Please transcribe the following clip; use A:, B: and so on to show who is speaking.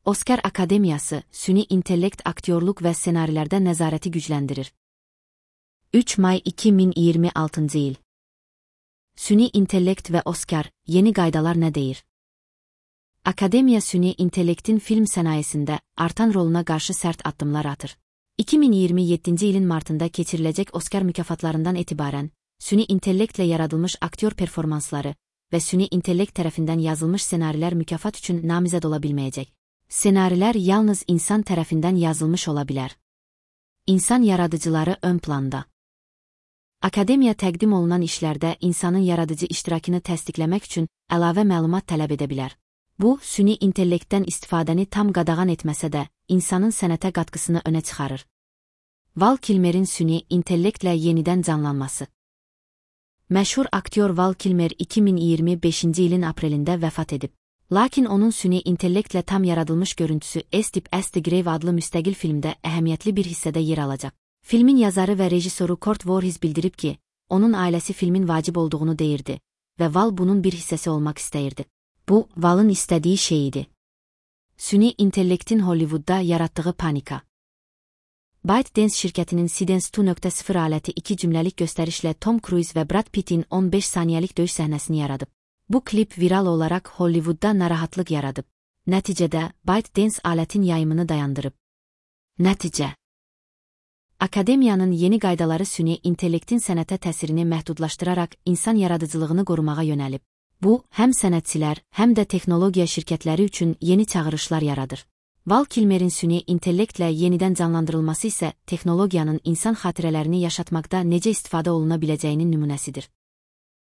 A: Oskar Akademiyası, süni intellekt aktyorluq və ssenarilərdə nəzarəti gücləndirir. 3 may 2026 il. Süni intellekt və Oskar, yeni qaydalar nə deyir? Akademiya süni intellektin film sənayesində artan roluna qarşı sərt addımlar atır. 2027 ilin martında keçiriləcək Oskar mükafatlarından etibarən, süni intellektlə yaradılmış aktyor performansları və süni intellekt tərəfindən yazılmış ssenarilər mükafat üçün namizəd ola bilməyəcək. Ssenarilər yalnız insan tərəfindən yazılmış ola bilər. İnsan yaradıcıları ön planda. Akademiya təqdim olunan işlərdə insanın yaradıcı iştirakını təsdiqləmək üçün əlavə məlumat tələb edə bilər. Bu, süni intellektdən istifadəni tam qadağan etməsə də, insanın sənətə qatqısını önə çıxarır. Val Kilmer'in süni intellektlə yenidən canlanması. Məşhur aktyor Val Kilmer 2025 ilin aprelində vəfat edib. Lakin onun süni intellektlə tam yaradılmış görüntüsü Estip as the Grave adlı müstəqil filmdə əhəmiyyətli bir hissədə yer alacaq. Filmin yazarı və rejissoru Kurt Voorhees bildirib ki, onun ailəsi filmin vacib olduğunu deyirdi və Val bunun bir hissəsi olmaq istəyirdi. Bu, Val'ın istədiyi şey idi. Süni intellektin Hollywoodda yaratdığı panika. ByteDance şirkətinin Sidens 2.0 aləti 2 cümləlik göstərişlə Tom Cruise və Brad Pitt'in 15 saniyəlik döyüş səhnəsini yaradıb. Bu klip viral olaraq Hollywoodda narahatlıq yaradıb. Nəticədə, ByteDance alətin yayımını dayandırıb. Nəticə. Akademiyanın yeni qaydaları süni intellektin sənətə təsirini məhdudlaşdıraraq insan yaradıcılığını qorumağa yönəlib. Bu, həm sənətçilər, həm də texnologiya şirkətləri üçün yeni çağırışlar yaradır. Val Kilmer'in süni intellektlə yenidən canlandırılması isə texnologiyanın insan xatirələrini yaşatmaqda necə istifadə oluna biləcəyinin nümunəsidir.